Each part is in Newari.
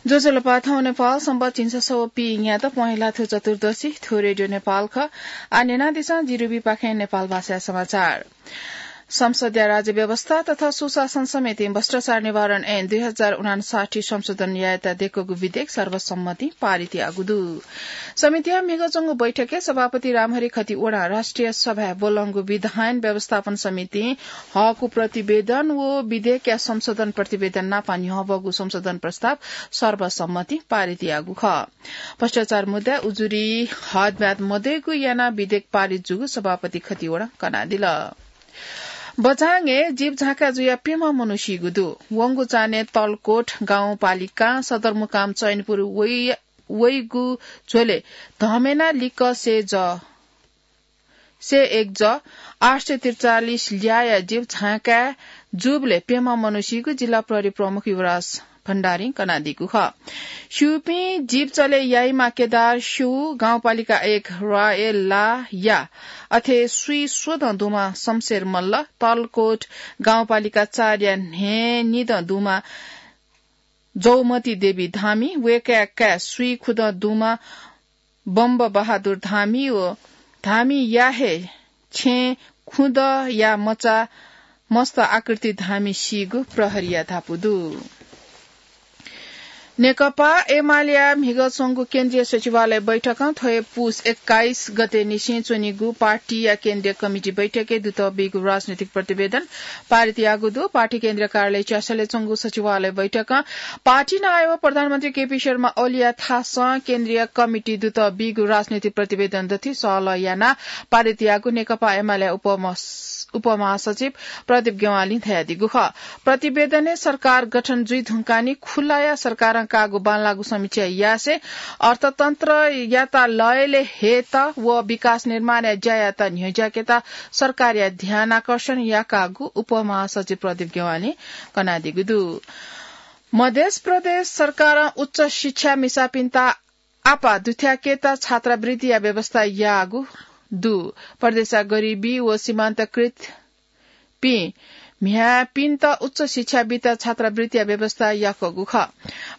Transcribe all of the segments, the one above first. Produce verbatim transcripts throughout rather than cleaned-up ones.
ज्वजलपा, थौं नेपाल संवत् झिंछसः व पीन्यादँ पहेँलाथ्व चतुर्दशी, थ्व रेडियो नेपाल खः। आः न्यनादिसँ जिरुबीपाखें नेपाल भाषाया समाचार। संसदया राज्य व्यवस्था तथा सुशासन समितिं भ्रष्टाचार निवारण ऐन दुई हजार उनान्साठी संशोधन यायेत दय्कूगु विधेयक सर्वसम्मतिं पारित याःगु दु। समितिया म्हिगः च्वंगु बैठकय् सभापति रामहरि खतिवडां राष्ट्रिय सभाय् ब्वलंगु विधायन व्यवस्थापन समितिं हःगु प्रतिवेदन व विधेयकया संशोधन प्रतिवेदन नापं न्ह्यवःगु संशोधन प्रस्ताव सर्वसम्मतिं पारित याःगु खः। भ्रष्टाचार मुद्दाय् उजुरी हदम्याद मदय्कू यानाः विधेयक पारित जूगु सभापति खतिवडां कनादिल। बझाङय् जीप झाँका जुयाः प्यम्ह मनू सीगु दु। वंगु चान्हय् तलकोट गाउँपालिकां सदरमुकाम चैनपुर वइ-, वइगु झ्वलय् धमेना लिक्क सय ज, सय एक ज आठ सय त्रिचालिस ल्याःया जीप झाँका जूबलय् प्यम्ह मनू सीगु जिल्ला प्रहरी प्रमुख युवराज भण्डारीं कनादीगु खः। स्यूपिं जीप चले याइमा केदार स्यू, गाउँपालिका एक रायलाया अथे स्वीस्वदँ दुम्ह शमशेर मल्ल, तलकोट गाउँपालिका चारया न्हय्निदँ दुम्ह जौमती देवी धामी, वय्कःया काय् स्वीखुदँ दुम्ह बम्ब बहादुर धामी व धामीया हे छेँ खुदँया मचा मस्त आकृति धामी सीगु प्रहरीया धापू दु। नेकपा एमालेया म्हिगः च्वंगु केन्द्रीय सचिवालय बैठकं थ्व हे पुस एक्काइस गते निसें च्वनीगु पार्टीया केन्द्रीय कमिटी बैठकय् दुत बीगु राजनैतिक प्रतिवेदन पारित याःगु दु। पार्टी केन्द्रीय कार्यालय च्यासलय् च्वंगु सचिवालय बैठकं पार्टी नायः व प्रधानमन्त्री केपी शर्मा ओलीया थासं केन्द्रीय कमिटी दुत बीगु राजनैतिक प्रतिवेदन दथुइ सहलह यानाः पारित याःगु नेकपा एमाले उपमस-, उपमहासचिव प्रदीप ज्ञवालीं धयादीगु खः। प्रतिवेदनय् सरकार गठन जुइ धुंकाः नि खुलाया सरकारं काःगु बांलाःगु समीक्षा यासें अर्थतन्त्रयात लय्ले हयेत व विकास निर्माणया ज्यायात न्ह्यज्याकेत सरकारया ध्यानाकर्षण याकाःगु उपमहासचिव प्रदीप ज्ञवालीं कनादीगु दु। मधेस प्रदेश सरकारं उच्च शिक्षा मिसापिन्त आपाः दुथ्याकेत छात्रवृत्तिया व्यवस्था याःगु दु। प्रदेशया गरिबी व सीमान्तकृत पिं म्ह्याय्पिन्त उच्च शिक्षा बीत छात्रवृत्तिया व्यवस्था याकूगु खः।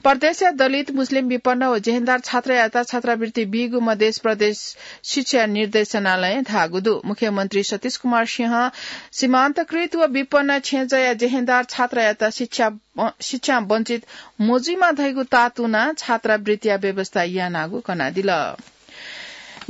प्रदेशया दलित, मुस्लिम, विपन्न व जेहेन्दार छात्रयात छात्रवृत्ति बीगु मधेस प्रदेश शिक्षा निर्देशनालयं धाःगु दु। मुख्यमन्त्री सतीश कुमार सिंहं सीमान्तकृत व विपन्न छेँजःया जेहेन्दार छात्रयात शिक्षा, अ, शिक्षां वञ्चित मजुइमा धइगु तातुनाः छात्रवृत्तिया व्यवस्था यानागु कनादिल।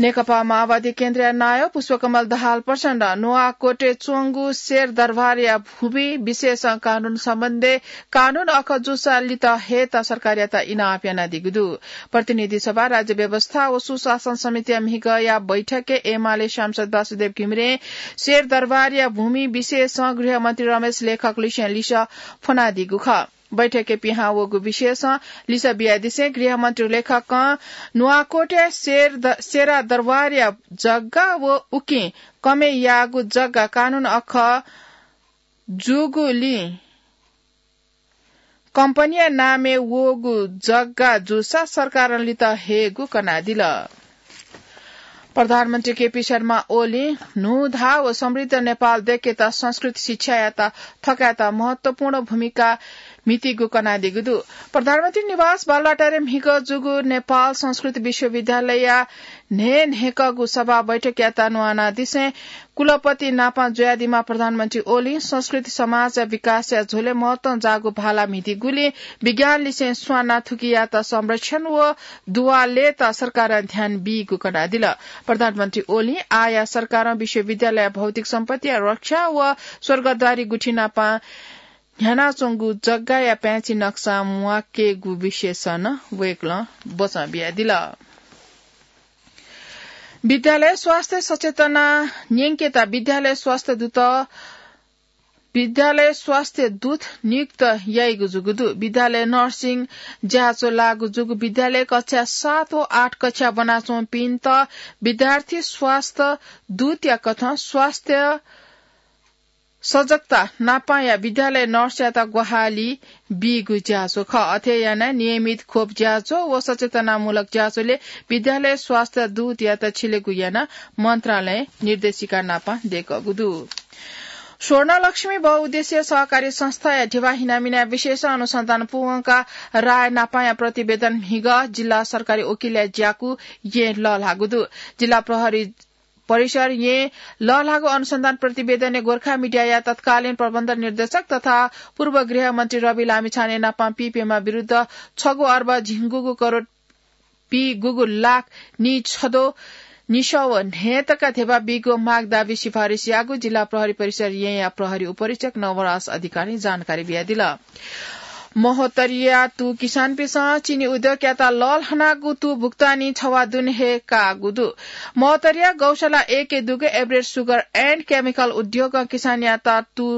नेकपा माओवादी केन्द्रया नायः पुष्पकमल दाहाल प्रचण्डं नुवाकोटय् च्वंगु शेरदरबारया भूमि विषयसं कानून सम्बन्धी कानून अखः जूसा लित हयेत सरकारयात इनाप यानादीगु दु। प्रतिनिधि सभा, राज्य व्यवस्था व सुशासन समितिया म्हिगःया बैठकय् एमाले सांसद वासुदेव घिमिरें शेरदरबारया भूमि विषयसं गृहमन्त्री रमेश लेखक लिसें लिसः फ्वनादीगु खः। बैठकय् पिहां वःगु विषयसं लिसः बियादिसें गृहमन्त्री लेखकं नुवाकोटया शेर द-, शेरदरबारया जग्गा व उकिं कमय् याःगु जग्गा कानून अखः जूगुलिं कम्पनीया नामय् वःगु जग्गा जूसा सरकारं लित हयेगु कनादिल। प्रधानमन्त्री केपी शर्मा ओलीं न्हूदँ व समृद्ध नेपाल दय्केत संस्कृत शिक्षायात थकायेत महत्वपूर्ण भूमिका म्हितीगु कनादीगु दु। प्रधानमन्त्री निवास बालुवाटारय् म्हिगः जूगु नेपाल संस्कृत विश्वविद्यालयया न्हय्न्हय्कःगु सभा बैठकयात न्वानादिसें कुलपति नापं जुयादीम्ह प्रधानमन्त्री ओलीं संस्कृति समाजया विकासया झ्वलय् महत्वं जाःगु भाला म्हितीगुलिं विज्ञान लिसें स्वानाः थुकियात संरक्षण व दुवालेत सरकारं ध्यान बीगु कनादिल। प्रधानमन्त्री ओलीं आःया सरकारं विश्वविद्यालयया भौतिक सम्पत्तिया रक्षा व स्वर्गद्वारी गुथिनापं न्ह्यानाच्वंगु जग्गाया पाँय्छि नक्सा म्वाकेगु विषयसं नं वय्कलं बचं बियादिल। विद्यालय स्वास्थ्य सचेतना न्यंकेत विद्यालय स्वास्थ्य दूत, विद्यालय स्वास्थ्य दूत नियुक्त याइगु जूगु दु। विद्यालय नर्सिङ ज्याझ्वः लाःगु जूगु विद्यालय कक्षा सात व आठ कक्षा ब्वनाच्वंपिन्त विद्यार्थी स्वास्थ्य दूतया कथं स्वास्थ्य सजगता नापंया विद्यालय नर्सयात ग्वाहालि बीगु ज्याझ्वः खः। अथे यानाः नियमित खोप ज्याझ्वः व सचेतनामूलक ज्याझ्वलय् विद्यालय स्वास्थ्य दूतयात छिलेगु यानाः मन्त्रालयं निर्देशिका नापं दय्कूगु दु। स्वर्णलक्ष्मी बहुउद्देश्य सहकारी संस्थाया धिबा हिनामिना विशेष अनुसन्धान पूवंका राय नापाया प्रतिवेदन म्हिगः जिल्ला सरकारी वकिलया ज्याकू येँ लःल्हाःगु दु। जिल्ला प्रहरी परिसर येँ लःल्हाःगु अनुसन्धान प्रतिवेदनय् गोर्खा मिडियाया तत्कालीन प्रबन्ध निर्देशक तथा पूर्व गृहमन्त्री रवि लामिछाने नापां पीप्यम्ह विरुद्ध छगू अर्ब झिंगुगु करोड पीगुगु लाख निछदो निसव न्हय्‌तका धिबा बीगु माग दाबी सिफारिस याःगु जिल्ला प्रहरी परिसर येँया प्रहरी उपरीक्षक नवराज अधिकारीं जानकारी बियादिल। महोत्तरीया तू किसानपिसं चिनी उद्योगयात लःल्हानागु तू भुक्तानी छवाः दुने हे काःगु दु। महोत्तरीया गौशाला एकय् दुगु Everest Sugar and Chemical उद्योगं किसानयात तू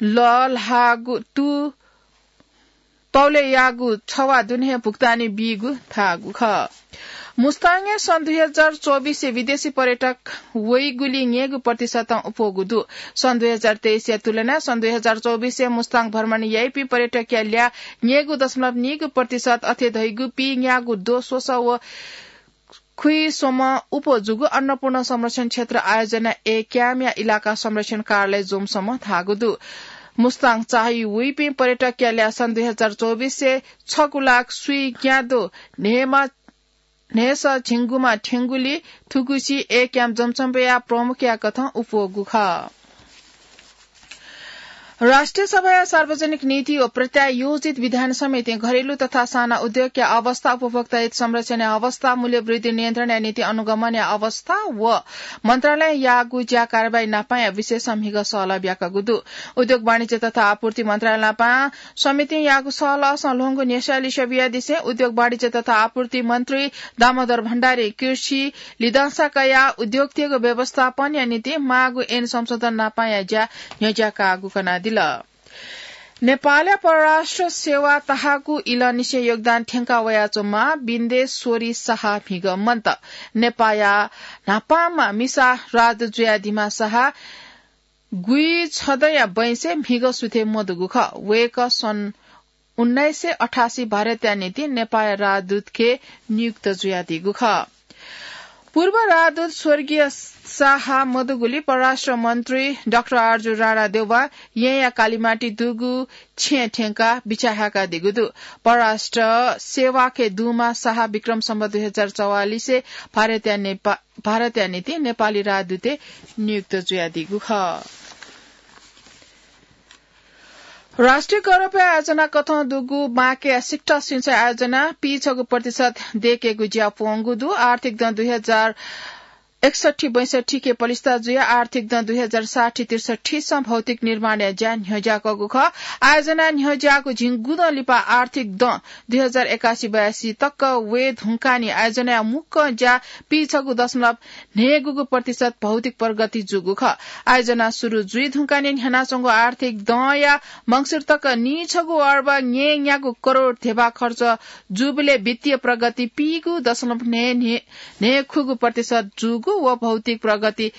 लःल्हाःगु तू तौलेयागु छवाः दुने हे भुक्तानी बीगु धाःगु खः। मुस्ताङय् सन् दुई हजार चौबिसय् विदेशी पर्यटक वइगुली न्यय्‌गू प्रतिशतं अप्वःगु दु। सन् दुई हजार तेइसया तुलनाय् सन् दुई हजार चौबिसय् मुस्ताङ भ्रमण याइपिं पर्यटकया ल्याः न्यय्‌गू दशमलव नीगू प्रतिशत अथे धइगु पीन्यागू द्वः स्वसः व खुइसम्म अप्वः जूगु अन्नपूर्ण संरक्षण क्षेत्र आयोजना एकयामया इलाका संरक्षण कार्यालय जोमसम्म धाःगु दु। मुस्ताङ चाःहि वइपिं पर्यटकया ल्याः सन् दुई हजार चौबिसय् छगू लाख स्वीन्याद्वः न्हय्‌मा न्हय्‌सः झिंगुमा थ्यंगुली थुगुसी एकयाम जोमसम्मया प्रमुखया कथं अप्वःगु खः। राष्ट्रिय सभाया सार्वजनिक नीति व प्रत्यायोजित विधान समितिं घरेलु तथा साना उद्योगया अवस्था, उपभोक्ता हित संरक्षणया अवस्था, मूल्य वृद्धि नियन्त्रणया निंतिं अनुगमनया अवस्था व मन्त्रालयं याःगु ज्या कारवाही नापाया विषयसं म्हिगः सहलह ब्याकागु दु। उद्योग वाणिज्य तथा आपूर्ति मन्त्रालय नापां समितिं याःगु सहलहसं ल्वहंगु न्ह्यसः लिसः बियादिसें उद्योग वाणिज्य तथा आपूर्ति मन्त्री दामोदर भण्डारीं कृषि लिधंसा कयाः उद्योगतय्‌गु व्यवस्थापनया निंतिं माःगु ऐन संशोधन नापाया ज्या न्ह्यज्याकाःगु कनादिल। नेपालया परराष्ट्र सेवा तहाकू इलंनिसें योगदान थ्यंका वयाच्वंम्ह बिन्देश्वरी साहा म्हिगः मन्त। नेपाःया न्हापांम्ह मिसा राजदूत जुयादीम्ह साहा गुइछदँया बैंसय् म्हिगः सुथय् मदुगु खः। वय्‌कः सन् उन्नाइस सय अठासी भारतया निंतिं नेपाःया राजदूतके नियुक्त जुयादीगु खः। पूर्व राजदूत स्वर्गीय साहा मदुगुली परराष्ट्र मन्त्री डाक्टर आरजु राणा देउबा येँया कालिमाटी दुगु छेँय् थ्यंकाः बिछाहाकादीगु दु। परराष्ट्र सेवाके दुम्ह साहा विक्रम सम्वत दुई हजार चौवालिसय् भारतया नेपा-, भारतया निंतिं नेपाली राजदूतय् नियुक्त जुयादीगु खः। राष्ट्रिय गौरवया आयोजना कथं दुगु माकेया सिक्टा सिंचाइ आयोजना पीछगू प्रतिशत दयेकेगु ज्या प्वंगु दु। आर्थिक दँ दुई हजार एकसट्ठी बैसट्ठीके पलिस्था जुयाः आर्थिक दँ दुई हजार साठी त्रिसट्ठीसं भौतिक निर्माणया ज्या न्ह्यज्याकःगु खः। आयोजना न्ह्यज्याःगु झिंगुदँ लिपा आर्थिक दँ दुई हजार एकासी बयासी तक वये धुंकानि आयोजनाया मुक्कं ज्या पीछगू दशमलव न्हय्‌गूगु प्रतिशत भौतिक प्रगति जूगु खः। आयोजना सुरु जुइ धुंकानि न्ह्यानाच्वंगु आर्थिक दँया मंसिर तक नीछगू अर्ब न्यय्‌न्यागू करोड धेबा खर्च जूबलय् वित्तीय प्रगति पीगू दशमलव न्हय्, न्हय्, न्हय्‌खूगु प्रतिशत जूगु व भौतिक प्रगति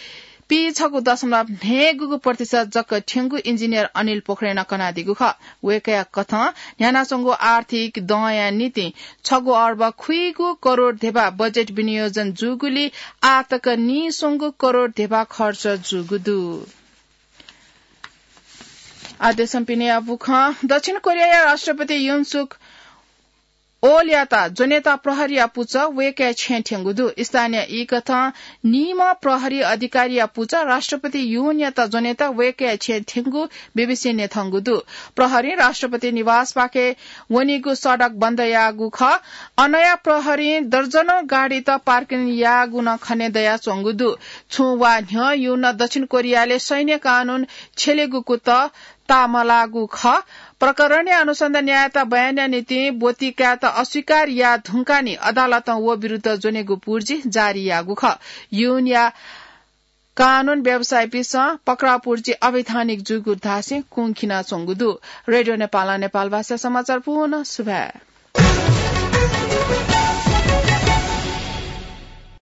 पीछगू दशमलव न्हय्‌गूगु प्रतिशत जक थ्यंगु इन्जिनियर अनिल पोखरेलं कनादीगु खः। वय्‌कःया कथं न्ह्यानाच्वंगु आर्थिक दँया निंतिं छगू अर्ब खुइगू करोड धेबा बजेट विनियोजन जूगुली आः तक नीस्वंगू करोड धेबा खर्च जूगु दु। आदेशं पिने अबु खँ। दक्षिण कोरियाया राष्ट्रपति युन सुक ओलयात ज्वनेत प्रहरीया पुचः वय्‌कःया छेँय् थ्यंगु दु। स्थानीय ई कथं नीम्ह प्रहरी अधिकारीया पुचः राष्ट्रपति युनयात ज्वनेत वय्‌कःया छेँय् थ्यंगु बीबीसीं न्यंकूगु दु। प्रहरीं राष्ट्रपति निवासपाखे वनीगु सडक बन्द याःगु खः। अनया प्रहरीं दर्जनौं गाडीत पार्किङ याःगु नं खने दयाच्वंगु दु। छुं वा न्ह्यः युनं दक्षिण कोरियाय् सैन्य कानून छ्यलेगु कुतः ताःमलाःगु खः। प्रकरणया अनुसन्धान यायेत बयानया निंतिं ब्वति कायेत अस्वीकार याः धुंकानि अदालतं व विरुद्ध ज्वनेगु पुर्जी जारी याःगु खः। युनया कानून व्यवसायीपिसं पक्राउ पुर्जी अवैधानिक जूगु धासें कुंखिनाच्वंगु दु। रेडियो नेपालं नेपाल भाषा समाचार पूवं सुभाय्।